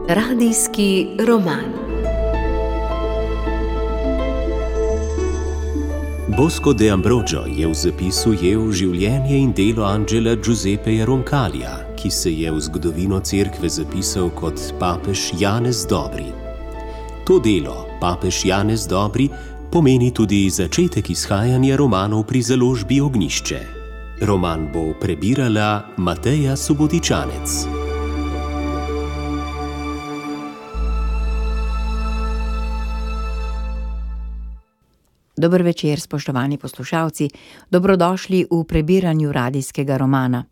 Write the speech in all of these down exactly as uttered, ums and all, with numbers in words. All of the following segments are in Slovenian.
Radijski roman. Bosco de Ambrogio je v zapisu ujel življenje in delo Angela Giuseppeja Roncalija, ki se je v zgodovino cerkve zapisal kot papež Janez Dobri. To delo, papež Janez Dobri, pomeni tudi začetek izhajanja romanov pri založbi Ognjišče. Roman bo prebirala Mateja Subotičanec. Dober večer, spoštovani poslušalci, dobrodošli v prebiranju radijskega romana.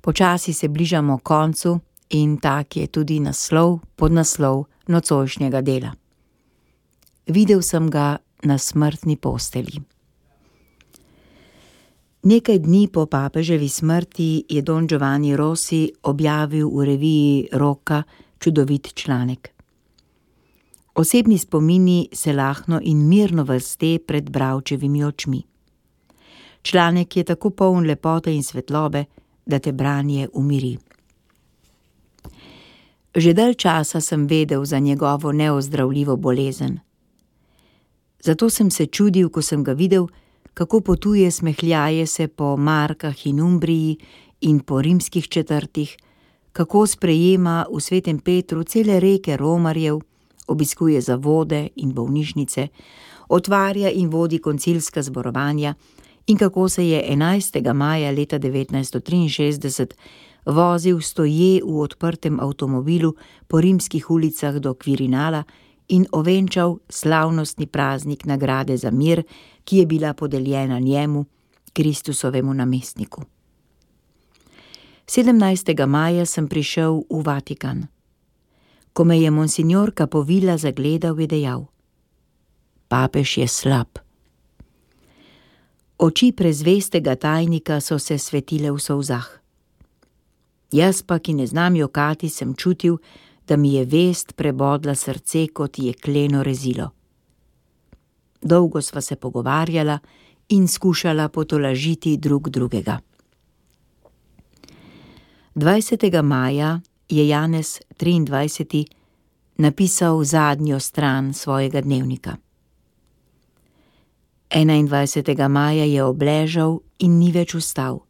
Počasi se bližamo koncu in tak je tudi naslov, podnaslov nocojšnjega dela. Videl sem ga na smrtni postelji. Nekaj dni po papeževi smrti je Don Giovanni Rossi objavil v reviji Rocca čudovit članek. Osebni spomini se lahno in mirno vrste pred bralčevimi očmi. Članek je tako poln lepote in svetlobe, da te branje umiri. Že dalj časa sem vedel za njegovo neozdravljivo bolezen. Zato sem se čudil, ko sem ga videl, kako potuje smehljaje se po Markah in Umbriji in po rimskih četrtih, kako sprejema v Svetem Petru cele reke romarjev, obiskuje zavode in bolnišnice, otvarja in vodi koncilska zborovanja in kako se je enajstega maja leta devetnajststo triinšestdeset vozil stoje v odprtem avtomobilu po rimskih ulicah do Quirinala in ovenčal slavnostni praznik nagrade za mir, ki je bila podeljena njemu, Kristusovemu namestniku. sedemnajstega maja sem prišel v Vatikan. Ko me je monsignor Capovilla zagledal, je dejal: papež je slab. Oči prezvestega tajnika so se svetile v solzah. Jaz pa, ki ne znam jokati, sem čutil, da mi je vest prebodla srce kot jekleno rezilo. Dolgo sva se pogovarjala in skušala potolažiti drug drugega. dvajsetega maja je Janez triindvajseti napisal zadnjo stran svojega dnevnika. enaindvajsetega maja je obležal in ni več vstal,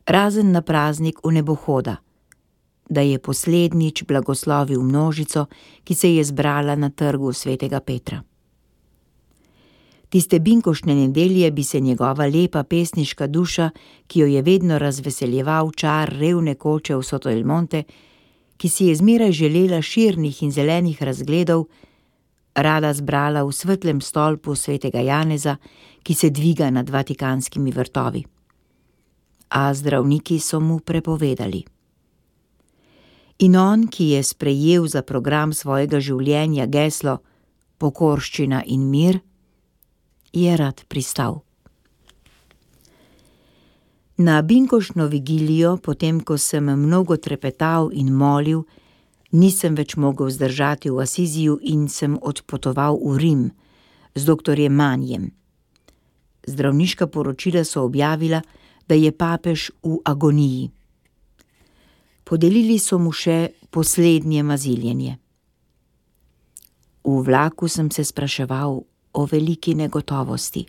razen na praznik vnebohoda, da je poslednjič blagoslovil množico, ki se je zbrala na trgu Svetega Petra. Tiste binkoštne nedelje bi se njegova lepa pesniška duša, ki jo je vedno razveseljeval čar revne koče v Soto el Monte, ki si je zmeraj želela širnih in zelenih razgledov, rada zbrala v svetlem stolpu svetega Janeza, ki se dviga nad vatikanskimi vrtovi. A zdravniki so mu prepovedali. In on, ki je sprejel za program svojega življenja geslo pokorščina in mir, je rad pristal. Na binkoštno vigilijo, potem ko sem mnogo trepetal in molil, nisem več mogel zdržati v Asiziju in sem odpotoval v Rim z doktorjem Manjem. Zdravniška poročila so objavila, da je papež v agoniji. Podelili so mu še poslednje maziljenje. V vlaku sem se spraševal o veliki negotovosti.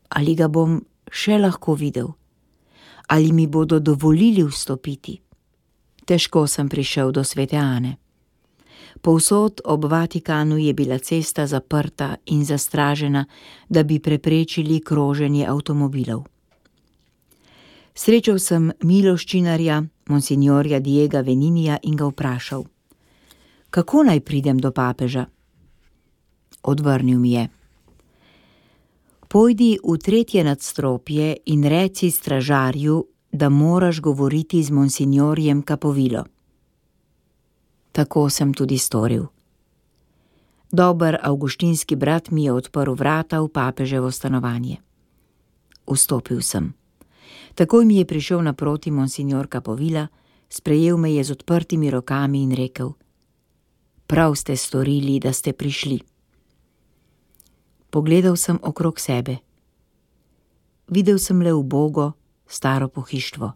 Ali ga bom še lahko videl? Ali mi bodo dovolili vstopiti? Težko sem prišel do Svete Ane. Povsod ob Vatikanu je bila cesta zaprta in zastražena, da bi preprečili kroženje avtomobilov. Srečal sem miloščinarja, monsignorja Diega Veninija, in ga vprašal: kako naj pridem do papeža? Odvrnil mi je: pojdi v tretje nadstropje in reci stražarju, da moraš govoriti z monsignorjem Capovillo. Tako sem tudi storil. Dober avguštinski brat mi je odprl vrata v papeževo stanovanje. Vstopil sem. Takoj mi je prišel naproti monsignor Capovilla, sprejel me je z odprtimi rokami in rekel: prav ste storili, da ste prišli. Pogledal sem okrog sebe. videl sem le ubogo, staro pohištvo.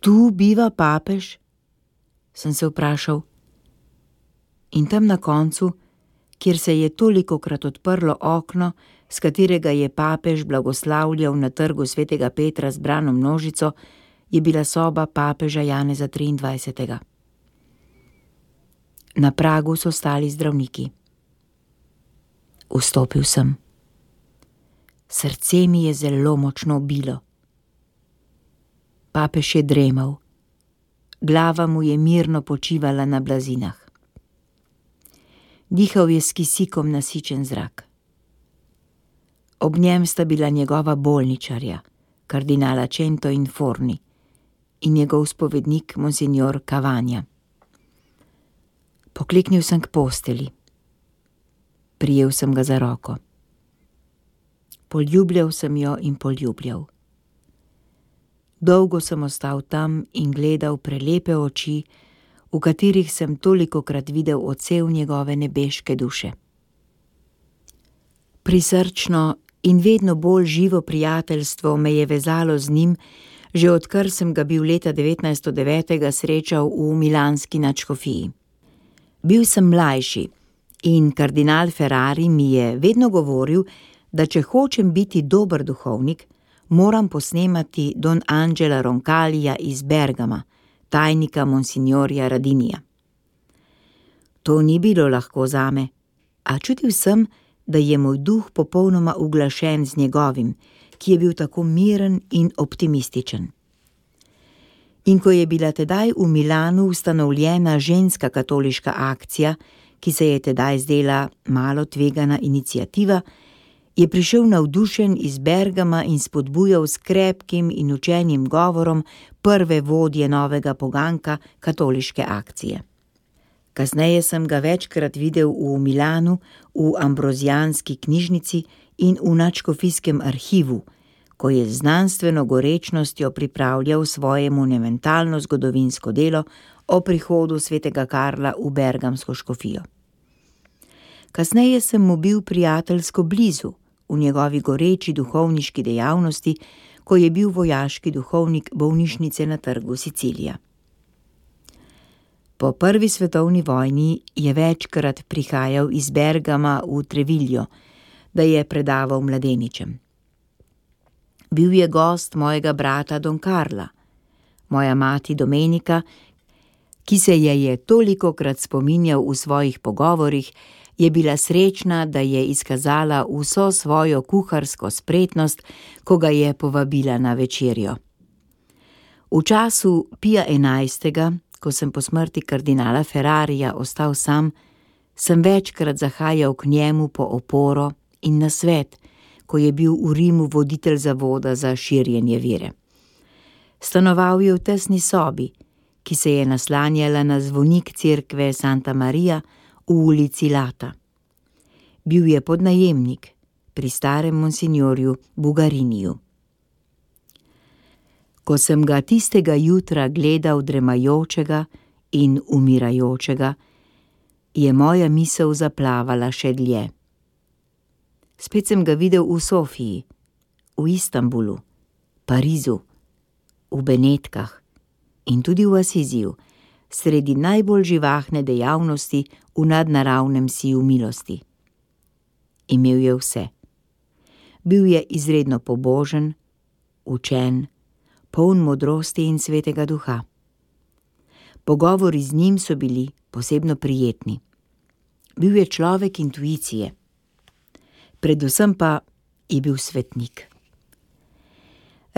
Tu biva papež? Sem se vprašal. In tam na koncu, kjer se je tolikokrat odprlo okno, s katerega je papež blagoslavljal na trgu svetega Petra zbrano množico, je bila soba papeža Janeza triindvajsetega. Na pragu so stali zdravniki. Vstopil sem. Srce mi je zelo močno bilo. Papež je dremal. Glava mu je mirno počivala na blazinah. Dihal je s kisikom nasičen zrak. Ob njem sta bila njegova bolničarja, kardinala Cento in Forni, in njegov spovednik, monsignor Cavagna. Pokleknil sem k posteli. Prijel sem ga za roko. Poljubljal sem jo in poljubljal. Dolgo sem ostal tam in gledal prelepe oči, v katerih sem tolikokrat videl odsev njegove nebeške duše. Prisrčno in vedno bolj živo prijateljstvo me je vezalo z njim, že odkar sem ga bil leta devetnajststo devet srečal v milanski nadškofiji. Bil sem mlajši in kardinal Ferrari mi je vedno govoril, da če hočem biti dober duhovnik, moram posnemati Don Angela Roncalija iz Bergama, tajnika monsignorja Radinija. To ni bilo lahko zame, a čutil sem, da je moj duh popolnoma uglašen z njegovim, ki je bil tako miren in optimističen. In ko je bila tedaj v Milanu ustanovljena ženska katoliška akcija, ki se je tedaj zdela malo tvegana iniciativa, je prišel navdušen iz Bergama in spodbujal s krepkim in učenim govorom prve vodje novega poganka katoliške akcije. Kasneje sem ga večkrat videl v Milanu, v ambrozijanski knjižnici in v nadškofijskem arhivu, ko je z znanstveno gorečnostjo pripravljal svoje monumentalno zgodovinsko delo o prihodu svetega Karla v bergamsko škofijo. Kasneje sem mu bil prijateljsko blizu, v njegovi goreči duhovniški dejavnosti, ko je bil vojaški duhovnik bolnišnice na trgu Sicilija. Po prvi svetovni vojni je večkrat prihajal iz Bergama v Treviglio, da je predaval mladeničem. Bil je gost mojega brata Don Carla, moja mati Domenika, ki se je je tolikokrat spominjal v svojih pogovorih, je bila srečna, da je izkazala vso svojo kuharsko spretnost, ko ga je povabila na večerjo. V času Pija enajstega, ko sem po smrti kardinala Ferrarija ostal sam, sem večkrat zahajal k njemu po oporo in nasvet, ko je bil v Rimu voditelj zavoda za širjenje vere. Stanoval je v tesni sobi, ki se je naslanjala na zvonik cerkve Santa Maria v ulici Lata. Bil je podnajemnik pri starem monsignorju Bugariniju. Ko sem ga tistega jutra gledal dremajočega in umirajočega, je moja misel zaplavala še dlje. Spet sem ga videl v Sofiji, v Istanbulu, Parizu, v Benetkah in tudi v Asiziju, sredi najbolj živahne dejavnosti v nadnaravnem siju milosti. Imel je vse. Bil je izredno pobožen, učen, poln modrosti in svetega duha. Pogovori z njim so bili posebno prijetni. Bil je človek intuicije. Predvsem pa je bil svetnik.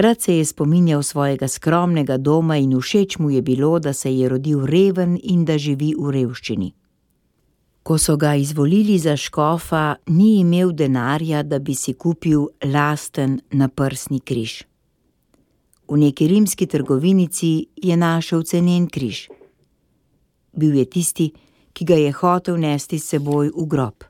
Rad se je spominjal svojega skromnega doma in všeč mu je bilo, da se je rodil reven in da živi v revščini. Ko so ga izvolili za škofa, ni imel denarja, da bi si kupil lasten naprsni križ. V neki rimski trgovinici je našel cenen križ. Bil je tisti, ki ga je hotel nesti s seboj v grob.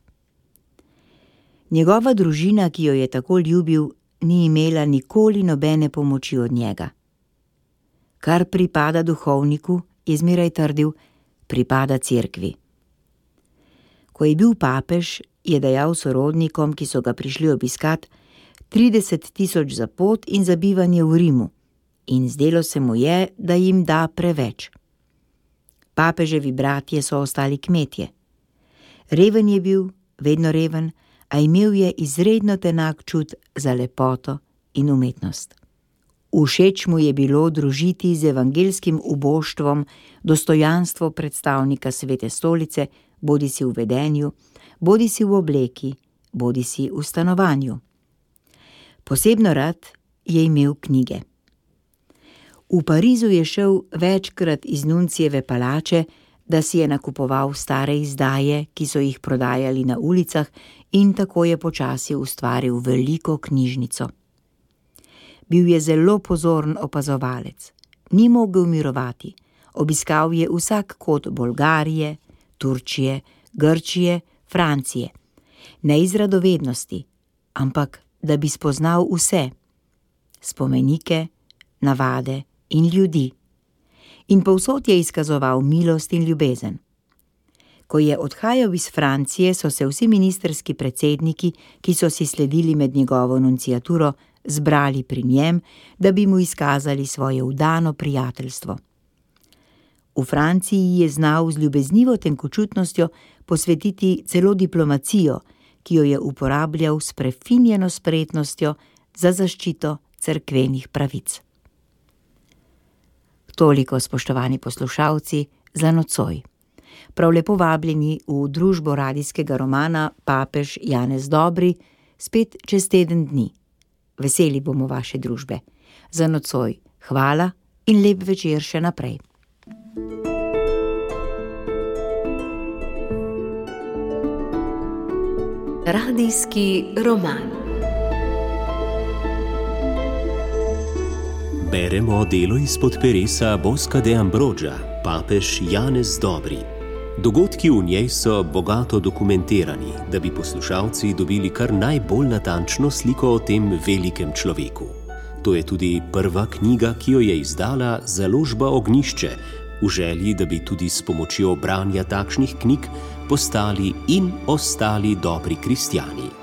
Njegova družina, ki jo je tako ljubil, ni imela nikoli nobene pomoči od njega. Kar pripada duhovniku, je zmeraj trdil, pripada cerkvi. Ko je bil papež, je dejal sorodnikom, ki so ga prišli obiskat, trideset tisoč za pot in za bivanje v Rimu, in zdelo se mu je, da jim da preveč. Papeževi bratje so ostali kmetje. Reven je bil, vedno reven, a imel je izredno tenak čut za lepoto in umetnost. Všeč mu je bilo družiti z evangelskim uboštvom dostojanstvo predstavnika Svete stolice, bodisi v vedenju, bodisi v obleki, bodisi v stanovanju. Posebno rad je imel knjige. V Parizu je šel večkrat iz Nuncijeve palače, da si je nakupoval stare izdaje, ki so jih prodajali na ulicah, in tako je počasi ustvaril veliko knjižnico. Bil je zelo pozoren opazovalec, ni mogel mirovati, obiskal je vsak kot Bolgarije, Turčije, Grčije, Francije. Ne iz radovednosti, ampak da bi spoznal vse, spomenike, navade in ljudi. In povsod je izkazoval milost in ljubezen. Ko je odhajal iz Francije, so se vsi ministrski predsedniki, ki so si sledili med njegovo nunciaturo, zbrali pri njem, da bi mu izkazali svoje vdano prijateljstvo. V Franciji je znal z ljubeznivo tenkočutnostjo posvetiti celo diplomacijo, ki jo je uporabljal s prefinjeno spretnostjo za zaščito cerkvenih pravic. Toliko, spoštovani poslušalci, za nocoj. Prav lepo vabljeni v družbo radijskega romana Papež Janez Dobri, spet čez teden dni. Veseli bomo vaše družbe. Za nocoj hvala in lep večer še naprej. Radijski roman. Beremo delo izpod peresa Bosca de Ambroggia, Papež Janez Dobri. Dogodki v njej so bogato dokumentirani, da bi poslušalci dobili kar najbolj natančno sliko o tem velikem človeku. To je tudi prva knjiga, ki jo je izdala založba Ognjišče, v želji, da bi tudi s pomočjo branja takšnih knjig postali in ostali dobri kristjani.